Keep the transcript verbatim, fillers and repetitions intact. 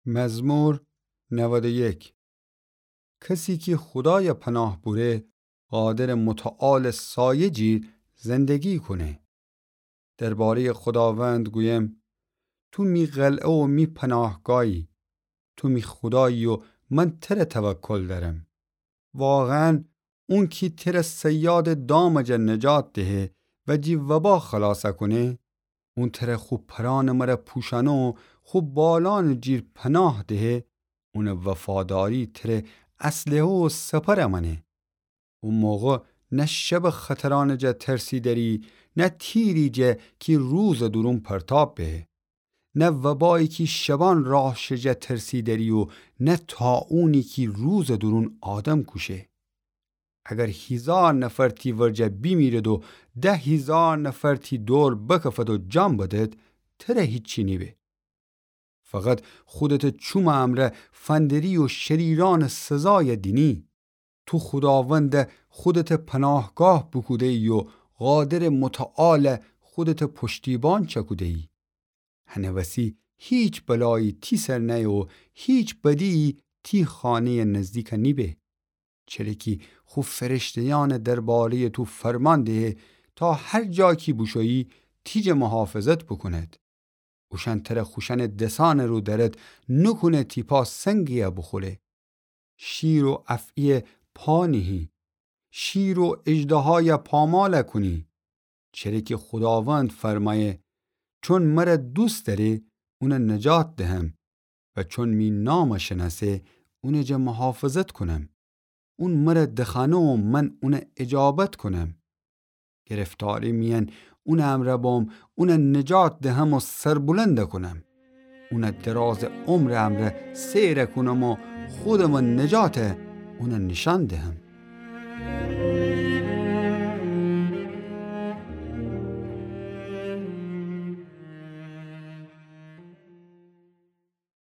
مزمور نود و یک. کسی کی خودایَ پناه بوره، قادرٚ متعالٚ سایه جیر زندگی کونه. دربارهٔ خوداوند گویم: تو می قلعه و می پناهگاهی، تو می خودایی و من تره توکل دأرم. واقعاً اون کی تره صیادٚ دامٚ جا نجات دهه و جی وبا خلاص کونه، اون تره خو پرأنٚ مره پوشأنه و خو بالأنٚ جیر پناه دهه، اونٚ وفاداری تره اسلحه و سپر مأنه. او موقع نه شبٚ خطرأنٚ جا ترسی دأری، نه تیری جا کی روزٚ دورون پرتاب بهه. نه وبایی کی شبأن راه شه جا ترسی دأری و نه طاعونی کی روزٚ دورون آدم کوشه. اگر هیزار نفر تی ورجه بیمیرد و ده هیزار نفر تی دور بکفد و جان بدد، تره هیچی نیبه. فقط خودتٚ چومٚ امرأ فندری و شریرأنٚ سزای دینی. تو خوداوندَ خودتٚ پناهگاه بوکوده‌یی و قادرٚ متعالَ خودتٚ پشتیبان چکوده‌یی. هنٚ وسی هیچ بلایی تی سر نأیه و هیچ بدی‌یی تی خانه‌یٚ نزدیک نیبه. چره کی خو فرشته‌یأنَ درباره‌یٚ تو فرمان دهه تا هر جا کی بوشویی تی جا محافظت بوکوند. اوشأن تره خوشأنٚ دسأنٚ رو دأرد، نوکونه تی پا سنگی‌یَ بوخوره. شیر و افعی‌یَ پا نیهی، شیر و اژدهایَ پامال کونی. چره کی خوداوند فرمأیه: چون مره دوست دأره، اونَ نجات دهم و چون می نامَ شنأسه، اونٚ جا محافظت کونم. اون مره دخوأنه و من اونَ اجابت کونم. گرفتاری میأن اونٚ امرأ بوم، اونَ نجات دهم و سربلند کونم. اونَ درازٚ عمرٚ امرأ سیر کونم و خودمٚ نجاتَ اونَ نیشأن دهم.